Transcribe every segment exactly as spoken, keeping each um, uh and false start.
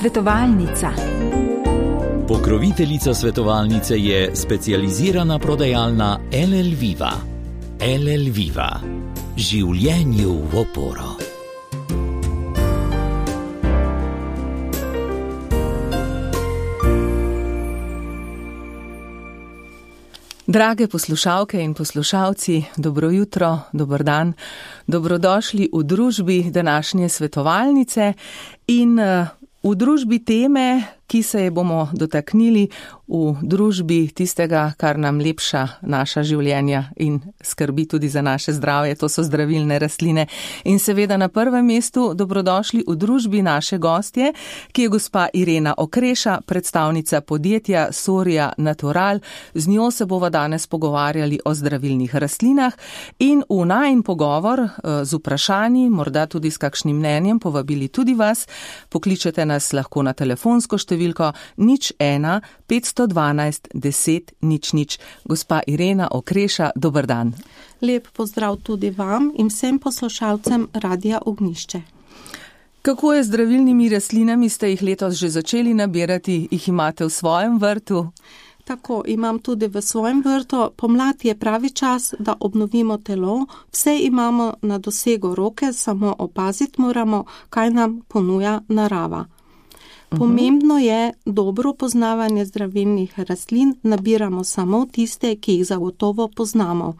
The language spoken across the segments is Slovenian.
Svetovalnica. Pokroviteljica svetovalnice je specializirana prodajalna El El Viva. El El Viva. Življenju v oporo. Drage poslušalke in poslušalci, dobro jutro, dober dan, dobrodošli v družbi današnje svetovalnice in v družbi teme, ki se je bomo dotaknili v družbi tistega, kar nam lepša naša življenja in skrbi tudi za naše zdravje, to so zdravilne rastline. In seveda na prvem mestu dobrodošli v družbi naše gostje, ki je gospa Irena Okreša, predstavnica podjetja Soria Natural. Z njo se bova danes pogovarjali o zdravilnih rastlinah in v najin pogovor z vprašanji, morda tudi s kakšnim mnenjem, povabili tudi vas. Pokličete nas lahko na telefonsko številko nič ena petsto dvanajst deset nič nič. Gospa Irena Okreša, dober dan. Lep pozdrav tudi vam in vsem poslušalcem Radia Ognjišče. Kako je z zdravilnimi rastlinami? Ste jih letos že začeli nabirati? Jih imate v svojem vrtu? Tako, imam tudi v svojem vrtu. Pomlad je pravi čas, da obnovimo telo. Vse imamo na dosegu roke, samo opaziti moramo, kaj nam ponuja narava. Pomembno je dobro poznavanje zdravilnih rastlin, nabiramo samo tiste, ki jih zagotovo poznamo.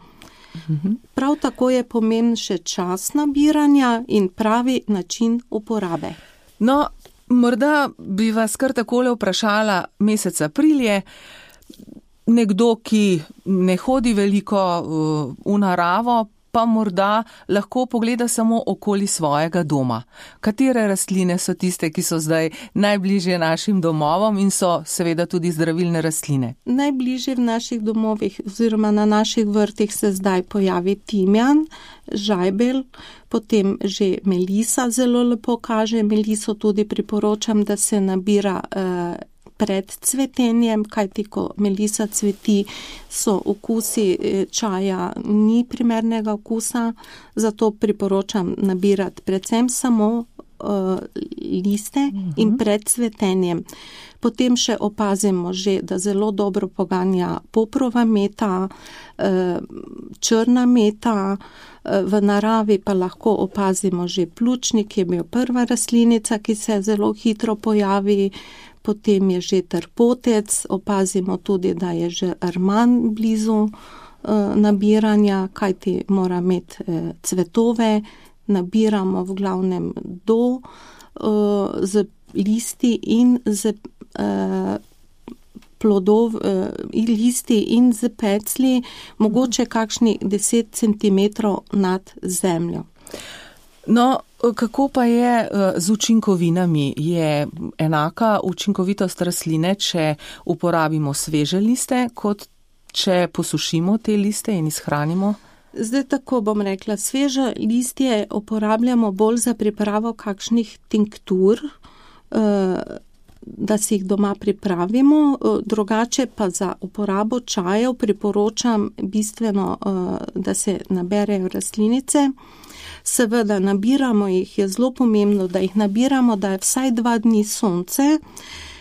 Prav tako je pomemben še čas nabiranja in pravi način uporabe. No, morda bi vas kar takole vprašala, mesec april je, nekdo, ki ne hodi veliko v naravo, pa morda lahko pogleda samo okoli svojega doma. Katere rastline so tiste, ki so zdaj najbližje našim domovom in so seveda tudi zdravilne rastline? Najbližje v naših domovih oziroma na naših vrtih se zdaj pojavi timjan, žajbelj, potem že melisa zelo lepo kaže. Meliso tudi priporočam, da se nabira eh, pred cvetenjem, kajti ko melisa cveti, so okusi čaja ni primernega okusa, zato priporočam nabirati predvsem samo uh, liste uh-huh. in pred cvetenjem. Potem še opazimo že, da zelo dobro poganja poprova meta, uh, črna meta, uh, v naravi pa lahko opazimo že pljučnik, ki je bil prva rastlinica, ki se zelo hitro pojavi. Potem je že trpotec, opazimo tudi, da je že arman blizu e, nabiranja, kajti mora imeti e, cvetove, nabiramo v glavnem do e, z listi in z e, plodov, e, listi in z pecli, mogoče kakšni deset centimetrov nad zemljo. No, kako pa je z učinkovinami? Je enaka učinkovitost rastline, če uporabimo sveže liste, kot če posušimo te liste in izhranimo? Zdaj tako bom rekla, sveže listje uporabljamo bolj za pripravo kakšnih tinktur, da si jih doma pripravimo, drugače pa za uporabo čajev priporočam bistveno, da se naberejo rastlinice. Seveda nabiramo jih, je zelo pomembno, da jih nabiramo, da je vsaj dva dni sonce,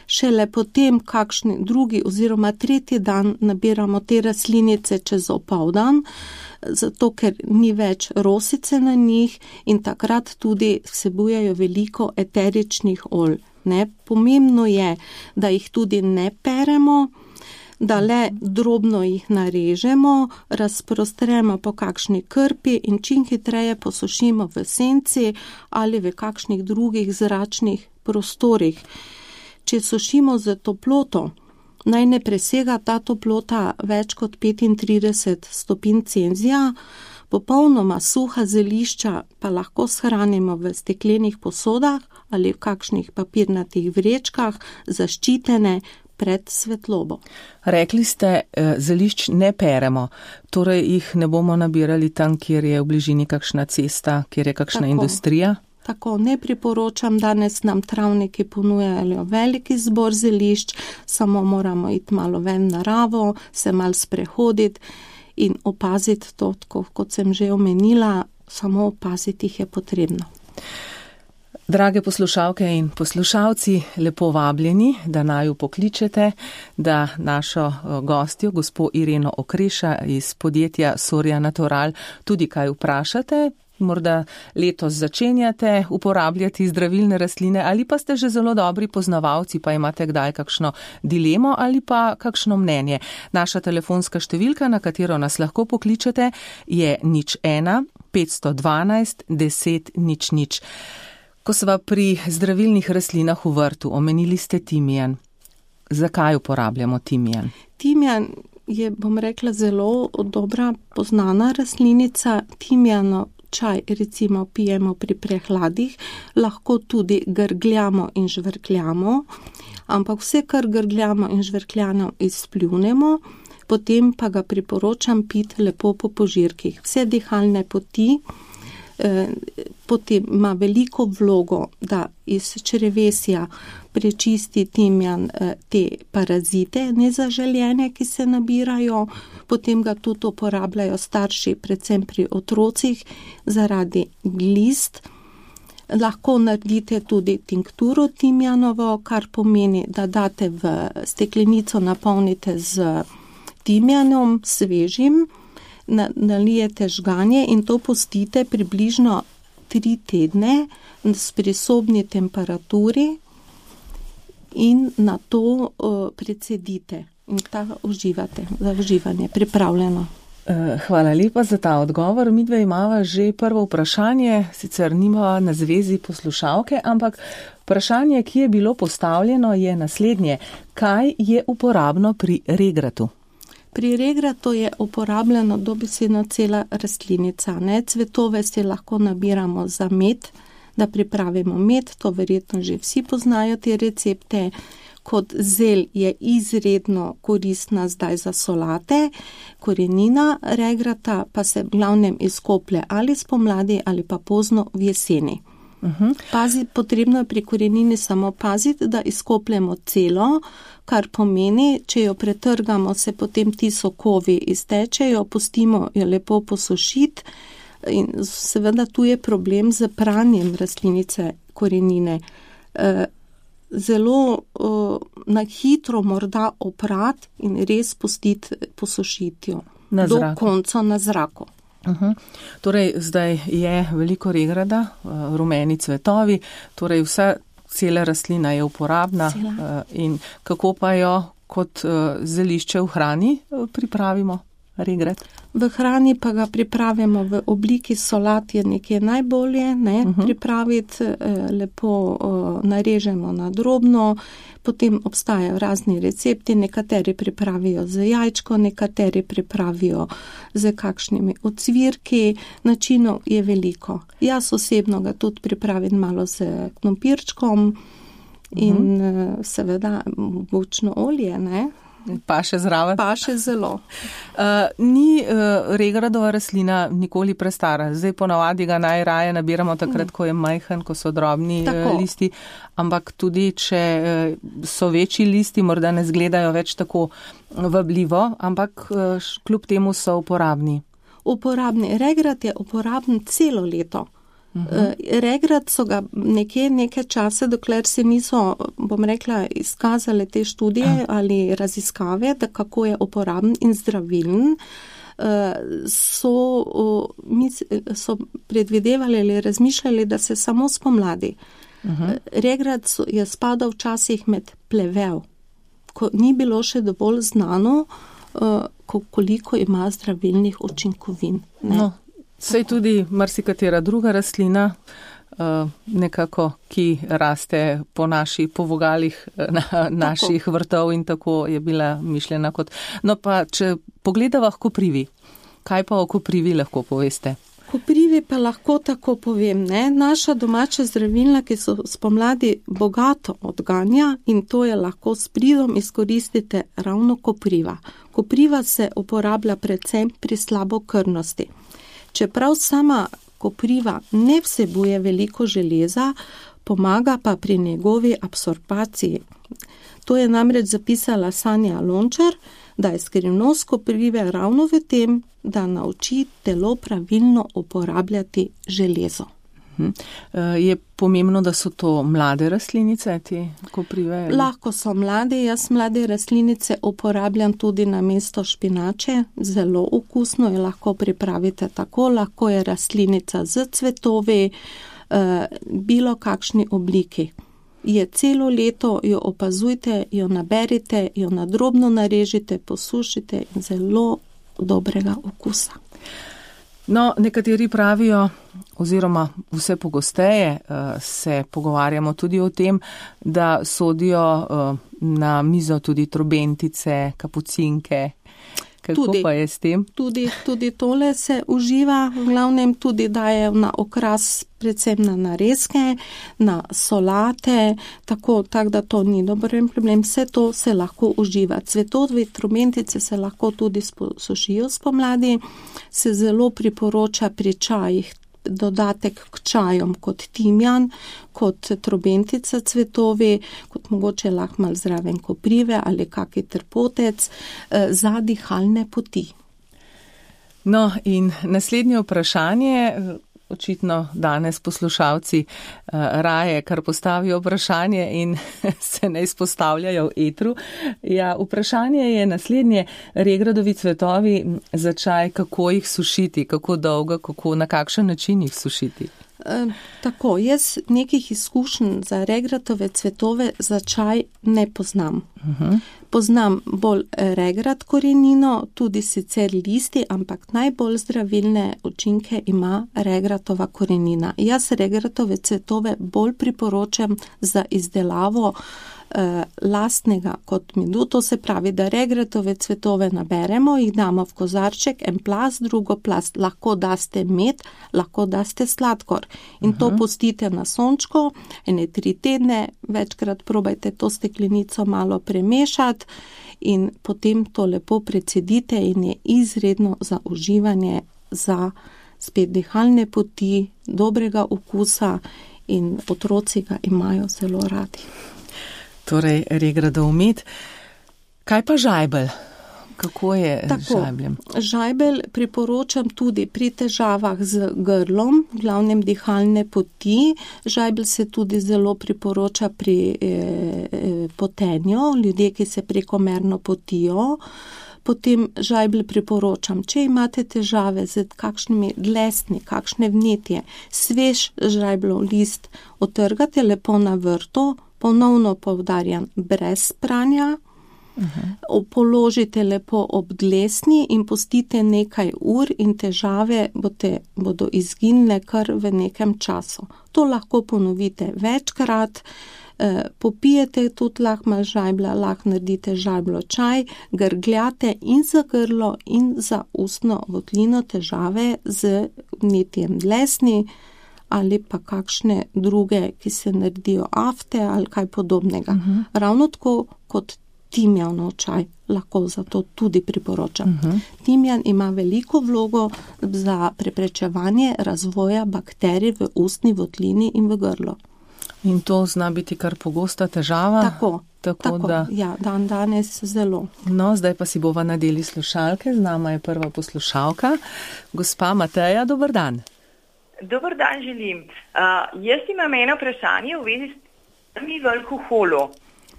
šele potem kakšni drugi oziroma tretji dan nabiramo te rastlinice čez opoldan, zato ker ni več rosice na njih in takrat tudi vsebujejo veliko eteričnih olj. Ne? Pomembno je, da jih tudi ne peremo, da le drobno jih narežemo, razprostremo po kakšni krpi in čim hitreje posušimo v senci ali v kakšnih drugih zračnih prostorih. Če sušimo z toploto, naj ne presega ta toplota več kot petintrideset stopinj Celzija, popolnoma suha zelišča pa lahko shranimo v steklenih posodah ali v kakšnih papirnatih vrečkah, zaščitene pred svetlobo. Rekli ste, zelišč ne peremo, torej jih ne bomo nabirali tam, kjer je v bližini kakšna cesta, kjer je kakšna tako, industrija? Tako, ne priporočam, danes nam travniki ponujajo veliki zbor zelišč, samo moramo iti malo ven naravo, se malo sprehoditi in opaziti to, kot sem že omenila, samo opaziti jih je potrebno. Drage poslušalke in poslušalci, lepo vabljeni, da naju pokličete, da našo gostjo, gospo Ireno Okreša iz podjetja Soria Natural, tudi kaj vprašate. Morda letos začenjate uporabljati zdravilne rastline ali pa ste že zelo dobri poznavalci, pa imate kdaj kakšno dilemo ali pa kakšno mnenje. Naša telefonska številka, na katero nas lahko pokličete, je nič ena petsto dvanajst deset nič nič. Ko sva pri zdravilnih rastlinah v vrtu, omenili ste timijan. Zakaj uporabljamo timijan? Timijan je, bom rekla, zelo dobra poznana rastlinica. Timijano čaj recimo pijemo pri prehladih, lahko tudi grgljamo in žvrkljamo, ampak vse, kar grgljamo in žvrkljamo, izpljunemo, potem pa ga priporočam piti lepo po požirkih. Vse dihalne poti, eh, potem ima veliko vlogo, da iz črevesja prečisti timijan eh, te parazite nezaželjene, ki se nabirajo. Potem ga tudi uporabljajo starši, predvsem pri otrocih, zaradi glist. Lahko naredite tudi tinkturo timijanovo, kar pomeni, da date v steklenico, napolnite z timijanom svežim, nalijete žganje in to pustite približno tri tedne pri sobni temperaturi in na to uh, precedite. In ta uživate, za uživanje, pripravljeno. Hvala lepa za ta odgovor. Midve imava že prvo vprašanje, sicer nima na zvezi poslušalke, ampak vprašanje, ki je bilo postavljeno, je naslednje. Kaj je uporabno pri regratu? Pri regratu je uporabljeno dobesedno cela rastlinica. Ne? Cvetove si lahko nabiramo za med, da pripravimo med, to verjetno že vsi poznajo te recepte. Kot zel je izredno koristna zdaj za solate, korenina regrata pa se v glavnem izkoplje ali spomladi ali pa pozno v jeseni. Uh-huh. Pazi, potrebno je pri korenini samo paziti, da izkopljemo celo, kar pomeni, če jo pretrgamo, se potem ti sokovi iztečejo, pustimo jo lepo posušiti in seveda tu je problem z pranjem rastlinice korenine. E, zelo uh, na hitro morda oprat in res pustiti posušiti jo do konca na zraku. Uh-huh. Torej, zdaj je veliko regrata, uh, rumeni cvetovi, torej vsa cela rastlina je uporabna uh, in kako pa jo kot uh, zelišče v hrani uh, pripravimo? Regrat. V hrani pa ga pripravimo v obliki solat, je nekje najbolje, ne, uh-huh. pripraviti, eh, lepo eh, narežemo na drobno, potem obstajajo razni recepti, nekateri pripravijo z jajčko, nekateri pripravijo z kakšnimi ocvirki, načinov je veliko. Jaz osebno ga tudi pripravim malo z knompirčkom in uh-huh. eh, seveda bučno olje, ne. Pa še zraven? Pa še zelo. Uh, ni uh, regradova rastlina nikoli prestara. Zdaj ponavadi ga najraje nabiramo takrat, ko je majhen, ko so drobni uh, listi, ampak tudi, če uh, so večji listi, morda ne zgledajo več tako vabljivo, ampak uh, kljub temu so uporabni. Uporabni. Regrat je uporaben celo leto. Uh-huh. Regrat so ga nekje neke čase, dokler se niso, bom rekla, izkazale te študije uh-huh. ali raziskave, da kako je uporaben in zdravilen, so, so predvidevali ali razmišljali, da se samo spomladi. Uh-huh. Regrat je spadal včasih med plevel, ko ni bilo še dovolj znano, koliko ima zdravilnih učinkovin. Ne? No. Sej tudi marsikatera druga rastlina, nekako, ki raste po naši, po vogalih na, naših vrtov in tako je bila mišljena kot. No pa, če pogledava koprivi, kaj pa o koprivi lahko poveste? Koprivi pa lahko tako povem, ne? Naša domača zdravilna, ki so spomladi bogato odganja in to je lahko s pridom izkoristite ravno kopriva. Kopriva se uporablja predvsem pri slabokrvnosti. Čeprav sama kopriva ne vsebuje veliko železa, pomaga pa pri njegovi absorpciji. To je namreč zapisala Sanja Lončar, da je skrivnost koprive ravno v tem, da nauči telo pravilno uporabljati železo. Je pomembno, da so to mlade rastlinice, te koprive? Lahko so mlade. Jaz mlade rastlinice uporabljam tudi na mesto špinače. Zelo okusno jo lahko pripravite tako. Lahko je rastlinica z cvetovi, bilo kakšni obliki. Je celo leto, jo opazujte, jo naberite, jo nadrobno narežite, posušite in zelo dobrega okusa. No, nekateri pravijo, oziroma vse pogosteje se pogovarjamo tudi o tem, da sodijo na mizo tudi trobentice, kapucinke. Kako tudi, pa je s tem? Tudi, tudi tole se uživa, v glavnem tudi daje na okras, predvsem na narezke, na solate, tako, tako da to ni dober problem. Vse to se lahko uživa. Cvetovi trobentice se lahko tudi sušijo spomladi, se zelo priporoča pri čajih. Dodatek k čajom kot timjan, kot trobentica cvetovi, kot mogoče lahko malo zraven koprive ali kaki trpotec za dihalne poti. No in naslednje vprašanje, očitno danes poslušalci raje, kar postavijo vprašanje in se ne izpostavljajo v etru. Ja, vprašanje je naslednje, regradovi cvetovi za čaj, kako jih sušiti, kako dolgo, kako, na kakšen način jih sušiti? E, tako, jaz nekih izkušenj za regratove cvetove za čaj ne poznam. Uh-huh. Poznam bolj regrat korenino, tudi sicer listi, ampak najbolj zdravilne učinke ima regratova korenina. Jaz regratove cvetove bolj priporočam za izdelavo eh, lastnega kot medu. To se pravi, da regratove cvetove naberemo, jih damo v kozarček, en plast, drugo plast. Lahko daste med, lahko daste sladkor. In uh-huh. to pustite na sončko, ene tri tedne, večkrat probajte to steklenico malo premešati in potem to lepo precedite in je izredno za uživanje, za spet dihalne poti, dobrega okusa in otroci ga imajo zelo radi. Torej, regradov med. Kaj pa žajbelj? Kako je Tako, z žajbljem? Žajbelj priporočam tudi pri težavah z grlom, v glavnem dihalne poti. Žajbelj se tudi zelo priporoča pri eh, potenju, ljudje, ki se prekomerno potijo. Potem žajbelj priporočam, če imate težave z kakšnimi dlesni, kakšne vnetje, svež žajblov list otrgate lepo na vrtu, ponovno poudarjam, brez pranja. Uh-huh. Položite lepo ob dlesni in pustite nekaj ur in težave bote, bodo izginile kar v nekem času. To lahko ponovite večkrat, eh, popijete tudi lahko malo žajblja, lahko naredite žajbljo čaj, grgljate in za grlo in za ustno votlino težave z vnetjem dlesni ali pa kakšne druge, ki se naredijo afte ali kaj podobnega. Uh-huh. Ravno tako kot timjanov čaj, lahko zato tudi priporočam. Uh-huh. Timjan ima veliko vlogo za preprečevanje razvoja bakterij v ustni votlini in v grlu. In to zna biti kar pogosta težava? Tako, tako, tako da... ja, dan danes zelo. No, zdaj pa si bova nadeli slušalke, z nama je prva poslušalka. Gospa Mateja, dober dan. Dober dan želim. Uh, jaz imam eno vprašanje v vezi s alkoholom.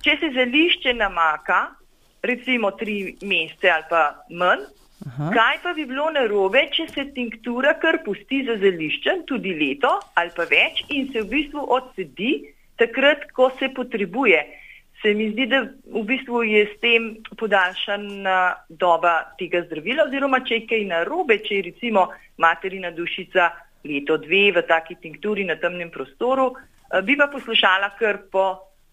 Če se zelišče namaka, recimo tri mesece ali pa manj, Aha. kaj pa bi bilo narobe, če se tinktura kar pusti za zeliščem tudi leto ali pa več in se v bistvu odsedi takrat, ko se potrebuje. Se mi zdi, da v bistvu je s tem podaljšana doba tega zdravila, oziroma če je kaj narobe, če je recimo materina dušica leto dve v taki tinkturi na temnem prostoru, bi pa poslušala kar po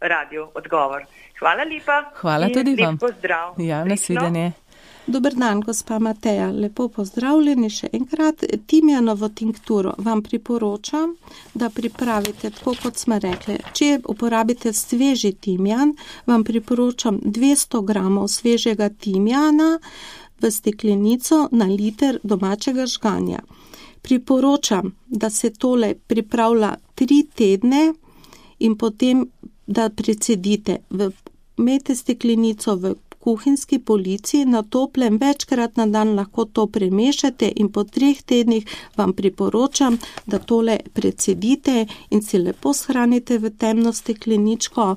radio odgovor. Hvala lepa. Hvala tudi vam. Lep pozdrav. Ja, nasvidenje. Dober dan, gospa Mateja. Lepo pozdravljeni še enkrat. Timjanovo tinkturo vam priporočam, da pripravite tako, kot smo rekli. Če uporabite sveži timjan, vam priporočam dvesto gramov svežega timjana v steklenico na liter domačega žganja. Priporočam, da se tole pripravlja tri tedne in potem da precedite, imejte steklenico v kuhinjski polici na toplem večkrat na dan lahko to premešate in po treh tednih vam priporočam, da tole precedite in si lepo shranite v temno stekleničko,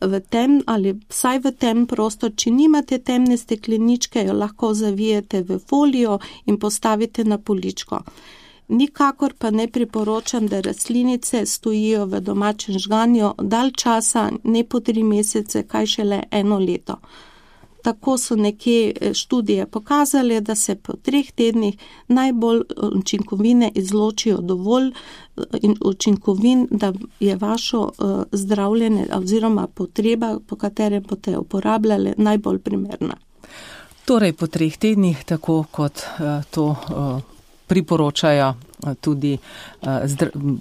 v tem ali vsaj v tem prostor. Če nimate temne stekleničke, jo lahko zavijete v folijo in postavite na poličko. Nikakor pa ne priporočam, da rastlinice stojijo v domačem žganju dalj časa, ne po tri mesece, kaj šele eno leto. Tako so nekje študije pokazali, da se po treh tednih najbolj učinkovine izločijo dovolj in učinkovin, da je vašo uh, zdravljenje oziroma potreba, po katerem boste uporabljali, najbolj primerna. Torej po treh tednih, tako kot uh, to uh, priporočajo uh, tudi uh, zdr-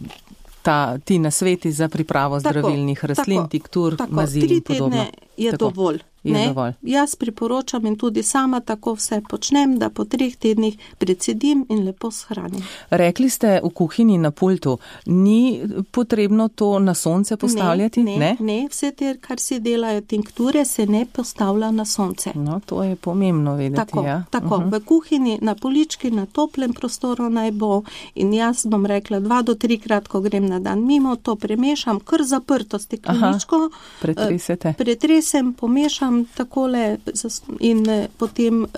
ta, ti nasveti za pripravo tako, zdravilnih rastlin, tako, tiktur, tako, mazil in podobno. Tri tedne je tako. dovolj. Ne, jaz priporočam in tudi sama tako vse počnem, da po treh tednih precedim in lepo shranim. Rekli ste v kuhinji na pultu, ni potrebno to na sonce postavljati? Ne, ne, ne, vse te, kar si delajo tinkture, se ne postavlja na sonce. No, to je pomembno vedeti. Tako, ja. tako uh-huh. v kuhinji, na polički, na toplem prostoru naj bo in jaz bom rekla dva do trikrat, ko grem na dan mimo, to premešam, kar zaprto stekleničko. Pretresete. Pretresem, pomešam takole in potem uh,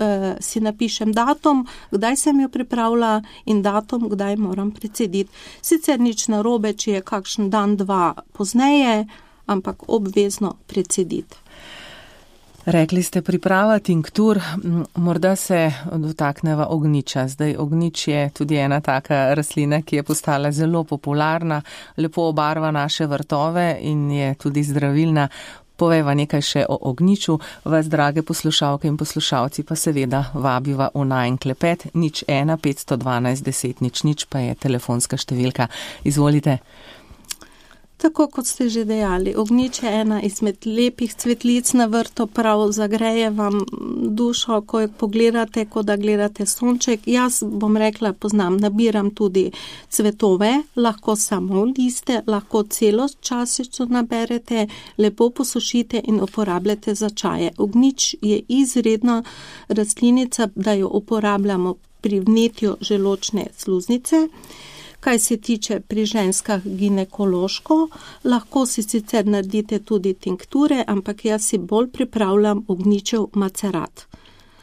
si napišem datum, kdaj sem jo pripravila in datum, kdaj moram precediti. Sicer nič narobe, če je kakšen dan, dva pozneje, ampak obvezno precediti. Rekli ste priprava tinktur, morda se dotakneva ognjiča. Zdaj ognjič je tudi ena taka rastlina, ki je postala zelo popularna, lepo obarva naše vrtove in je tudi zdravilna. Povejva nekaj še o ognjiču, vas, drage poslušalke in poslušalci, pa seveda vabiva v najin klepet, nič ena, petsto dvanajst, deset, nič, nič, pa je telefonska številka. Izvolite. Tako kot ste že dejali, ognjič je ena izmed lepih cvetlic na vrtu, prav zagreje vam dušo, ko jo pogledate, ko da gledate sonček. Jaz bom rekla, poznam, nabiram tudi cvetove, lahko samo liste, lahko celo časico naberete, lepo posušite in uporabljate za čaje. Ognjič je izredna rastlinica, da jo uporabljamo pri vnetju želodčne sluznice. Kaj se tiče pri ženskah ginekološko, lahko si sicer naredite tudi tinkture, ampak jaz si bolj pripravljam ognjičev macerat.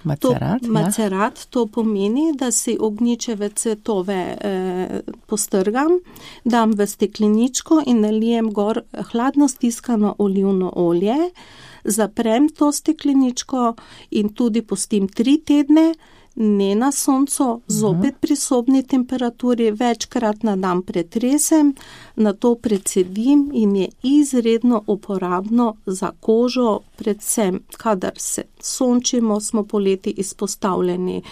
Macerat, to, macerat, to pomeni, da si ognjičeve cvetove eh, postrgam, dam v stekleničko in nalijem gor hladno stiskano olivno olje, zaprem to stekleničko in tudi pustim tri tedne, ne na soncu, zopet pri sobni temperaturi, večkrat na dan pretresem, na to precedim in je izredno uporabno za kožo, predvsem, kadar se sončimo, smo poleti izpostavljeni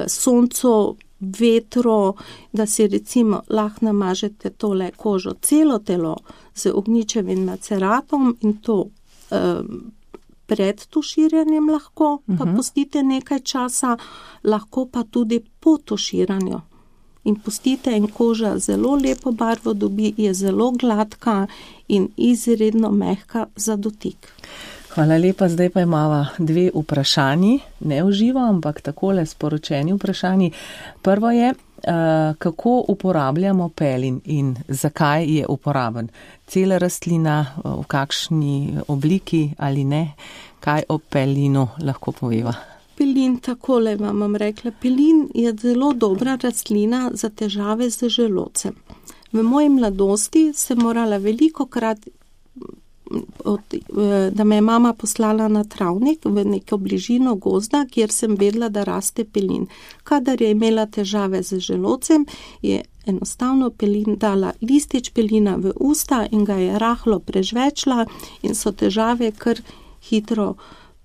soncu, vetru, da si recimo lahko namažete tole kožo, celo telo z ognjičevim maceratom in to um, pred tuširanjem lahko, pa uh-huh. pustite nekaj časa, lahko pa tudi po tuširanju. In pustite in koža zelo lepo barvo dobi, je zelo gladka in izredno mehka za dotik. Hvala lepa, zdaj pa imava dve vprašanji, ne v živo, ampak takole sporočeni vprašanji. Prvo je, kako uporabljamo pelin in zakaj je uporaben. Cela rastlina, v kakšni obliki ali ne, kaj o pelinu lahko poveva? Pelin, takole vam bom rekla, pelin je zelo dobra rastlina za težave z želodcem. V moji mladosti sem morala veliko krat, od, da me je mama poslala na travnik v neko bližino gozda, kjer sem vedela, da raste pelin. Kadar je imela težave z želodcem, je enostavno pelin dala listič pelina v usta in ga je rahlo prežvečila in so težave kar hitro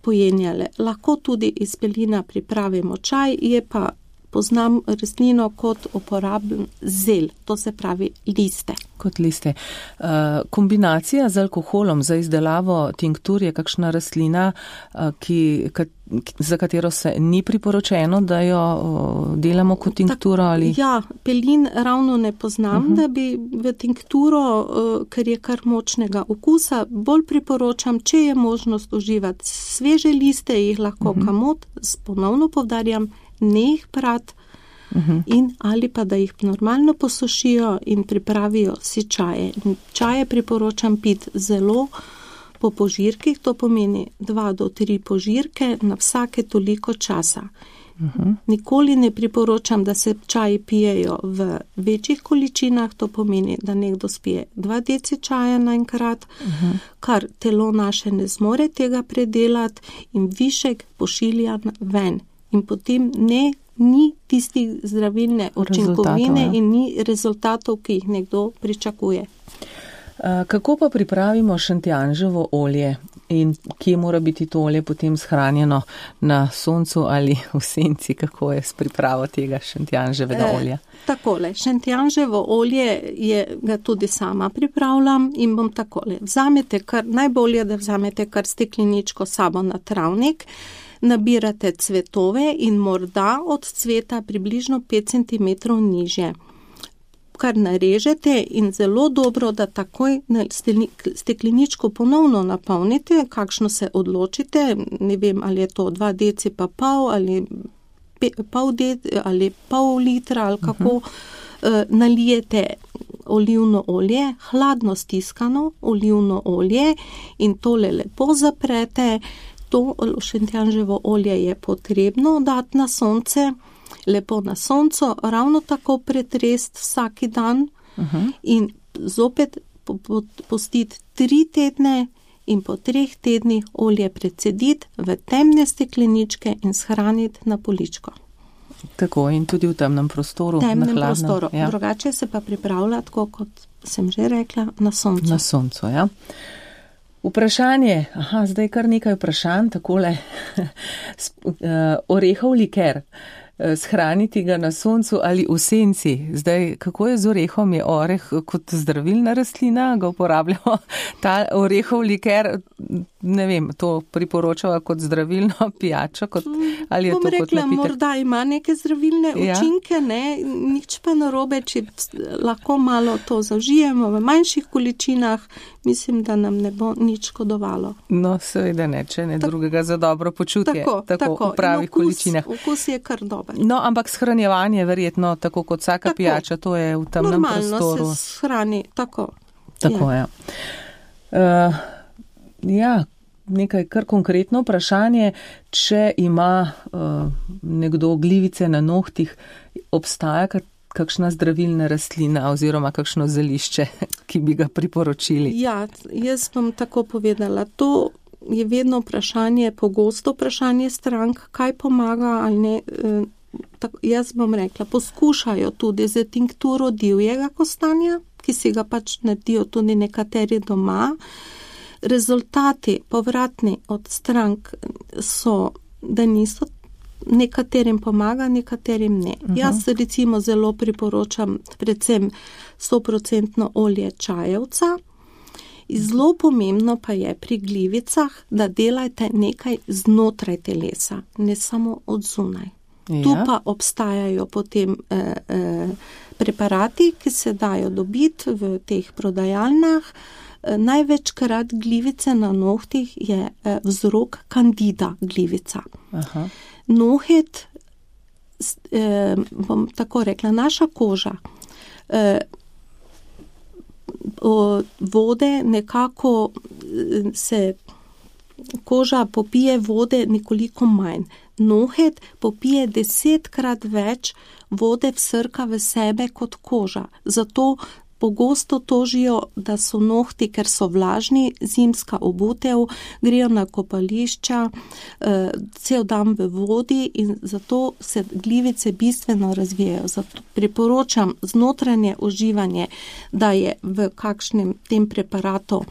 pojenjale. Lahko tudi iz pelina pripravimo čaj, je pa poznam rastlino kot uporaben zel, to se pravi liste. Kot liste. Uh, kombinacija z alkoholom za izdelavo tinktur je kakšna rastlina, uh, ki, ka, za katero se ni priporočeno, da jo uh, delamo kot tinkturo? Ali? Ja, pelin ravno ne poznam, uh-huh. da bi v tinkturo, uh, ker je kar močnega okusa, bolj priporočam, če je možnost uživati sveže liste, jih lahko uh-huh. kamot, ponovno povdarjam, ne jih prat, uh-huh. in ali pa da jih normalno posušijo in pripravijo si čaje. Čaje priporočam piti zelo po požirkih, to pomeni dva do tri požirke na vsake toliko časa. Uh-huh. Nikoli ne priporočam, da se čaji pijejo v večjih količinah, to pomeni, da nekdo spije dva deci čaja naenkrat, uh-huh. kar telo naše ne zmore tega predelati in višek pošilja ven. In potem ne, ni tistih zdravilne učinkovine ja. in ni rezultatov, ki jih nekdo pričakuje. Kako pa pripravimo šentjanževo olje in kje mora biti to olje potem shranjeno, na soncu ali v senci, kako je s pripravo tega šentjanževega olja? E, takole, šentjanževo olje je, ga tudi sama pripravljam in bom takole. Vzamete kar, najbolje, da vzamete kar stekleničko sabo na travnik, nabirate cvetove in morda od cveta približno pet centimetrov nižje. Kar narežete in zelo dobro, da takoj stekleničko ponovno napolnite, kakšno se odločite, ne vem, ali je to dva deci pa pol, ali pol, deci, ali pol litra, ali kako, uh-huh. nalijete olivno olje, hladno stiskano olivno olje in tole lepo zaprete. To šentjanževo olje je potrebno dati na sonce, lepo na sonco, ravno tako pretrest vsaki dan uh-huh. in zopet pustiti tri tedne in po treh tednih olje precediti v temne stekleničke in shraniti na poličko. Tako in tudi v temnem prostoru. Temnem na prostoru. Ja. Drugače se pa pripravlja, tako kot sem že rekla, na soncu. Na soncu, ja. Vprašanje, aha, zdaj kar nekaj vprašanj, takole, orehov liker, shraniti ga na soncu ali v senci. Zdaj, kako je z orehom? Je oreh kot zdravilna rastlina, ga uporabljamo, ta orehov liker, ne vem, to priporočava kot zdravilno pijačo, kot, ali je Bom to rekla, kot napitek? Morda ima neke zdravilne Ja. učinke, ne, nič pa narobe, če lahko malo to zaužijemo v manjših količinah, mislim, da nam ne bo nič škodovalo. No, seveda ne, če ne drugega za dobro počutje, Tako, tako, tako. v pravih In okus, količinah. Okus je kar dober. No, ampak shranjevanje verjetno, tako kot vsaka Tako. pijača, to je v temnem Normalno prostoru. se shrani, tako. Tako je. Ja. Uh, ja, nekaj kar konkretno vprašanje, če ima uh, nekdo glivice na nohtih, obstaja kak, kakšna zdravilna rastlina oziroma kakšno zelišče, ki bi ga priporočili? Ja, jaz bom tako povedala. To je vedno vprašanje, pogosto vprašanje strank, kaj pomaga ali ne. Uh, tako, jaz bom rekla, poskušajo tudi z tinkturo divjega kostanja, ki si ga pač naredijo tudi nekateri doma. Rezultati povratni od strank so, da niso, nekaterim pomaga, nekaterim ne. Uh-huh. Jaz recimo zelo priporočam predvsem sto procentno olje čajevca. Zelo pomembno pa je pri glivicah, da delajte nekaj znotraj telesa, ne samo od zunaj. Ja. Tu pa obstajajo potem eh, eh, preparati, ki se dajo dobiti v teh prodajalnah. Eh, največkrat glivice na nohtih je eh, vzrok kandida glivica. Aha. Nohet, eh, bom tako rekla, naša koža eh, vode nekako se koža popije vode nekoliko manj. Nohet popije desetkrat več vode vsrka v sebe kot koža. Zato pogosto tožijo, da so nohti, ker so vlažni, zimska obutev, grejo na kopališča, eh, cel dan v vodi in zato se glivice bistveno razvijajo. Zato priporočam znotranje uživanje, da je v kakšnem tem preparatu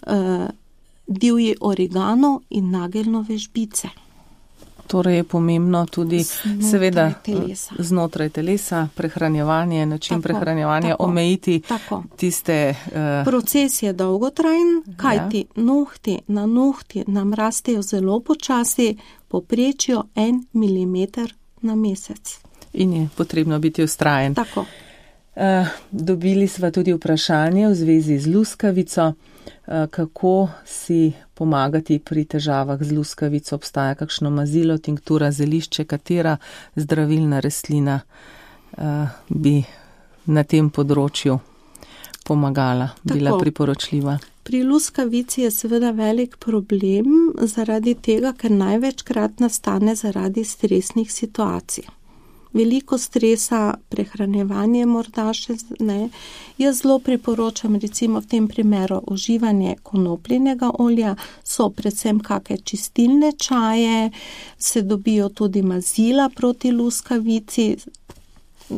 eh, divji origano in nageljnove žbice. Torej je pomembno tudi znotraj seveda telesa. znotraj telesa, prehranjevanje, način Tako, prehranjevanja, tako, omejiti tako. tiste. Uh, Proces je dolgotrajen, kajti ja. nohti na nohti nam rastejo zelo počasi, poprečijo en milimeter na mesec. In je potrebno biti vztrajen. Tako. Uh, dobili sva tudi vprašanje v zvezi z luskavico. Uh, kako si pomagati pri težavah z luskavico? Obstaja kakšno mazilo, tinktura, zelišče, katera zdravilna rastlina uh, bi na tem področju pomagala, Tako. bila priporočljiva? Pri luskavici je seveda velik problem zaradi tega, ker največkrat nastane zaradi stresnih situacij. Veliko stresa, prehranjevanje morda še ne. Jaz zelo priporočam recimo v tem primeru uživanje konopljinega olja, so predvsem kakšne čistilne čaje, se dobijo tudi mazila proti luskavici,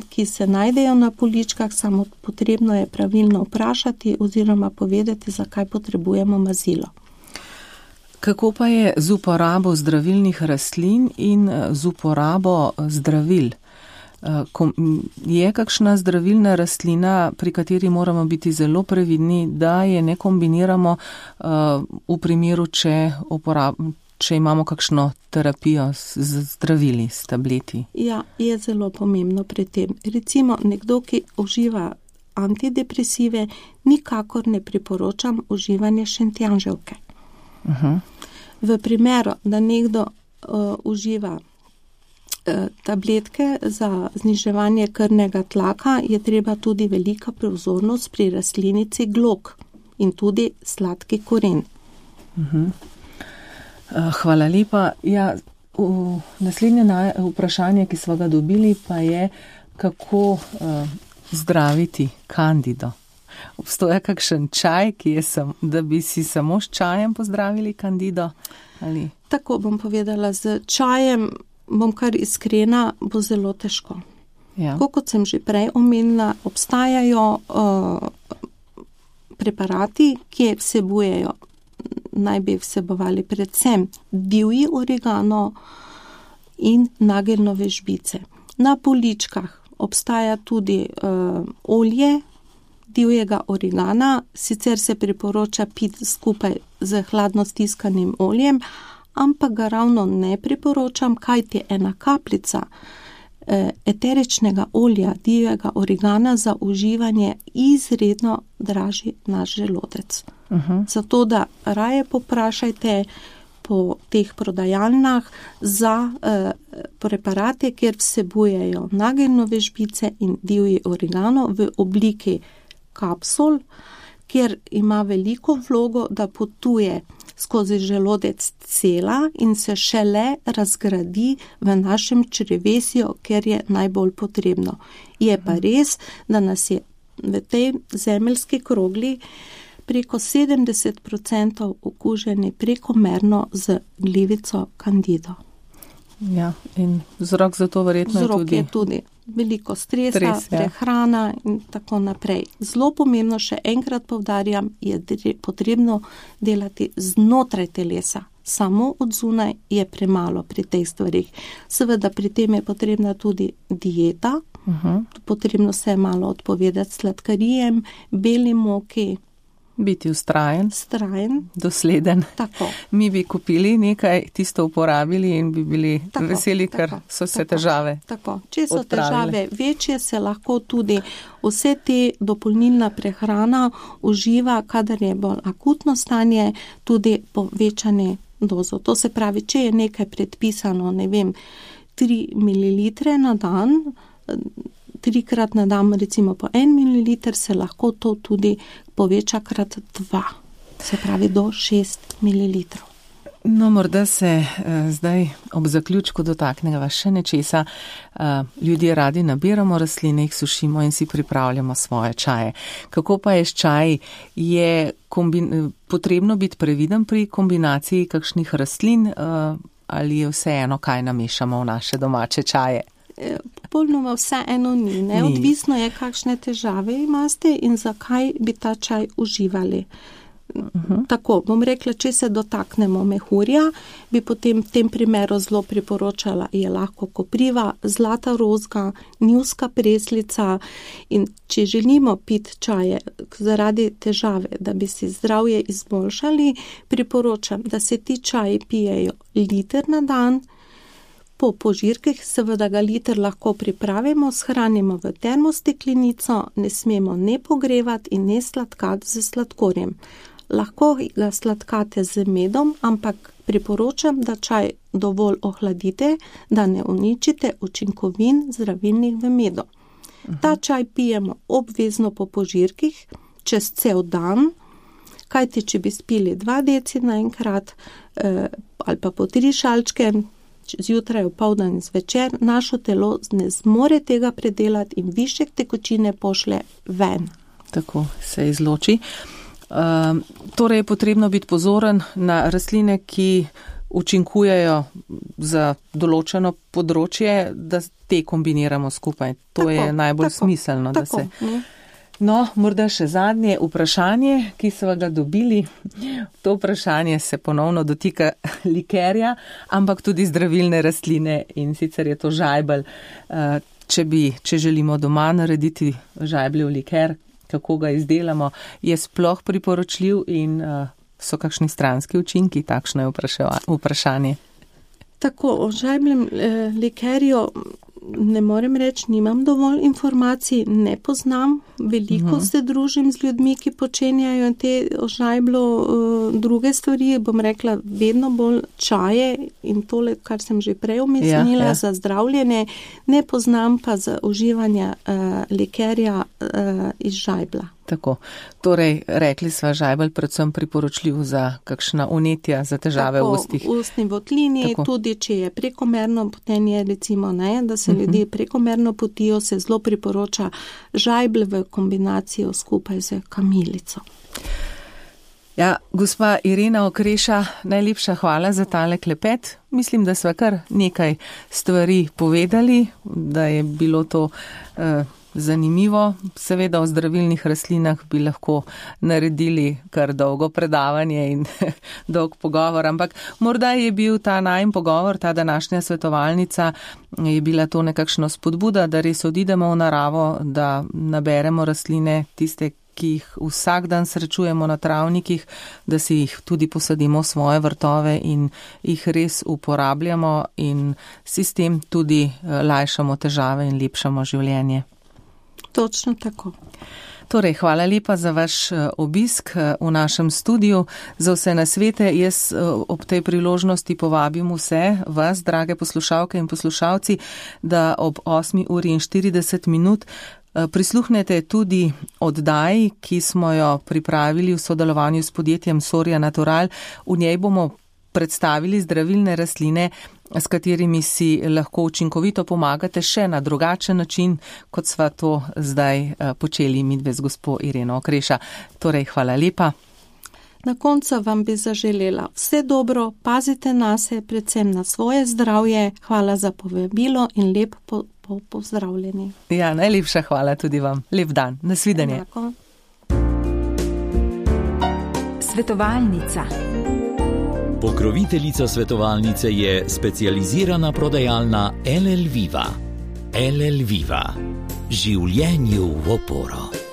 ki se najdejo na poličkah, samo potrebno je pravilno vprašati oziroma povedati, zakaj potrebujemo mazilo. Kako pa je z uporabo zdravilnih rastlin in z uporabo zdravil? Je kakšna zdravilna rastlina, pri kateri moramo biti zelo previdni, da je ne kombiniramo v primeru, če, uporab, če imamo kakšno terapijo z zdravili, s tableti? Ja, je zelo pomembno pri tem. Recimo nekdo, ki uživa antidepresive, nikakor ne priporočam uživanje šentjanževke. Uh-huh. V primeru, da nekdo uh, uživa tabletke za zniževanje krvnega tlaka, je treba tudi velika pozornost pri rastlinici glog in tudi sladki koren. Uh-huh. Hvala lepa. Ja, naslednje vprašanje, ki smo ga dobili, pa je, kako uh, zdraviti kandido. Obstoja kakšen čaj, ki je sam, da bi si samo s čajem pozdravili kandido? Ali? Tako bom povedala, z čajem bom kar iskrena, bo zelo težko. Ja. Tako kot sem že prej omenila, obstajajo uh, preparati, ki vsebujejo, naj bi vsebovali predvsem divji oregano in nageljnove žbice. Na poličkah obstaja tudi uh, olje divjega oregana, sicer se priporoča piti skupaj z hladno stiskanim oljem, ampak ga ravno ne priporočam, kajti ena kapljica eh, eteričnega olja divjega oregana za uživanje izredno draži naš želodec. Uh-huh. Zato, da raje poprašajte po teh prodajalnah za eh, preparate, kjer vsebujejo nageljnove žbice in divji oregano v obliki kapsul, kjer ima veliko vlogo, da potuje skozi želodec cela in se šele razgradi v našem črevesju, ker je najbolj potrebno. Je pa res, da nas je v tej zemeljski krogli preko sedemdeset odstotkov okuženi prekomerno z glivico kandido. Ja, in vzrok za to verjetno je tudi... Vzrok je tudi veliko stresa, Stres, ja. prehrana in tako naprej. Zelo pomembno, še enkrat povdarjam, je potrebno delati znotraj telesa. Samo od zunaj je premalo pri teh stvarih. Seveda pri tem je potrebna tudi dieta, uh-huh. potrebno se je malo odpovedati sladkarijem, beli moki. Biti vztrajen, Strajen. dosleden. Tako. Mi bi kupili nekaj, tisto uporabili in bi bili tako, veseli, ker tako, so se tako, težave tako. Če so odpravile. Težave večje, se lahko tudi vse te dopolnilna prehrana uživa, kadar je bolj akutno stanje, tudi povečanje dozo. To se pravi, če je nekaj predpisano, ne vem, tri mililitre na dan, trikrat na dan, recimo po en mililiter, se lahko to tudi poveča krat dva, se pravi do šest mililitrov. No, morda se eh, zdaj ob zaključku dotakneva še nečesa. Eh, ljudje radi nabiramo rastline, jih sušimo in si pripravljamo svoje čaje. Kako pa je s čaji? Je kombin- potrebno biti previden pri kombinaciji kakšnih rastlin eh, ali je vseeno, kaj namešamo v naše domače čaje? Popolnoma vse eno ni, ne? Odvisno je, kakšne težave imate in zakaj bi ta čaj uživali. Uh-huh. Tako, bom rekla, če se dotaknemo mehurja, bi potem v tem primeru zelo priporočala, je lahko kopriva, zlata rozga, njivska preslica in če želimo piti čaje zaradi težave, da bi si zdravje izboljšali, priporočam, da se ti čaji pijejo liter na dan. Po požirkih seveda ga liter lahko pripravimo, shranimo v termosteklenico, ne smemo ne pogrevati in ne sladkati z sladkorjem. Lahko ga sladkate z medom, ampak priporočam, da čaj dovolj ohladite, da ne uničite učinkovin zdravilnih v medu. Uh-huh. Ta čaj pijemo obvezno po požirkih, čez cel dan, kajti če bi spili dva deci naenkrat eh, ali pa po tri šalčke, zjutraj, opoldan in zvečer, našo telo ne zmore tega predelati in višek tekočine pošle ven. Tako se izloči. Uh, torej je potrebno biti pozoren na rastline, ki učinkujejo za določeno področje, da te kombiniramo skupaj. To tako, je najbolj tako, smiselno. Tako, da se... No, morda še zadnje vprašanje, ki so ga dobili. To vprašanje se ponovno dotika likerja, ampak tudi zdravilne rastline in sicer je to žajbelj. Če bi, če želimo doma narediti žajbljev liker, kako ga izdelamo, je sploh priporočljiv in so kakšni stranski učinki, takšno je vprašanje. Tako, o žajbljem likerju ne morem reči, nimam dovolj informacij, ne poznam, veliko uh-huh. se družim z ljudmi, ki počenjajo te ožajblo uh, druge stvari, bom rekla, vedno bolj čaje in tole, kar sem že prej omenila, ja, ja. za zdravljenje, ne poznam pa za uživanje uh, likerja uh, iz žajbla. Tako, torej rekli sva žajbelj predvsem priporočljiv za kakšna unetja, za težave Tako, v ustih. Tako, ustni votlini, Tako. tudi če je prekomerno potenje, recimo ne, da se uh-huh. ljudje prekomerno potijo, se zelo priporoča žajbelj v kombinacijo skupaj z kamilico. Ja, gospa Irena Okreša, najlepša hvala za tale klepet. Mislim, da sva kar nekaj stvari povedali, da je bilo to uh, zanimivo. Seveda o zdravilnih rastlinah bi lahko naredili kar dolgo predavanje in dolg pogovor, ampak morda je bil ta najin pogovor, ta današnja svetovalnica, je bila to nekakšno spodbuda, da res odidemo v naravo, da naberemo rastline, tiste, ki jih vsak dan srečujemo na travnikih, da si jih tudi posadimo v svoje vrtove in jih res uporabljamo in si s tem tudi lajšamo težave in lepšamo življenje. Točno tako. Torej, hvala lepa za vaš obisk v našem studiu, za vse nasvete. Jaz ob tej priložnosti povabim vse vas, drage poslušalke in poslušalci, da ob osmi uri in štirideset minut prisluhnete tudi oddaji, ki smo jo pripravili v sodelovanju s podjetjem Soria Natural. V njej bomo predstavili zdravilne rastline, s katerimi si lahko učinkovito pomagate še na drugačen način, kot sva to zdaj počeli midve z gospo Ireno Okreša. Torej, hvala lepa. Na koncu vam bi zaželela vse dobro, pazite nase, predvsem na svoje zdravje. Hvala za povabilo in lep po, po, pozdravljeni. Ja, najlepša hvala tudi vam. Lep dan. Nasvidenje. Enako. Svetovalnica. Pokroviteljica svetovalnice je specializirana prodajalna L L Viva. L L Viva. Življenju v oporo.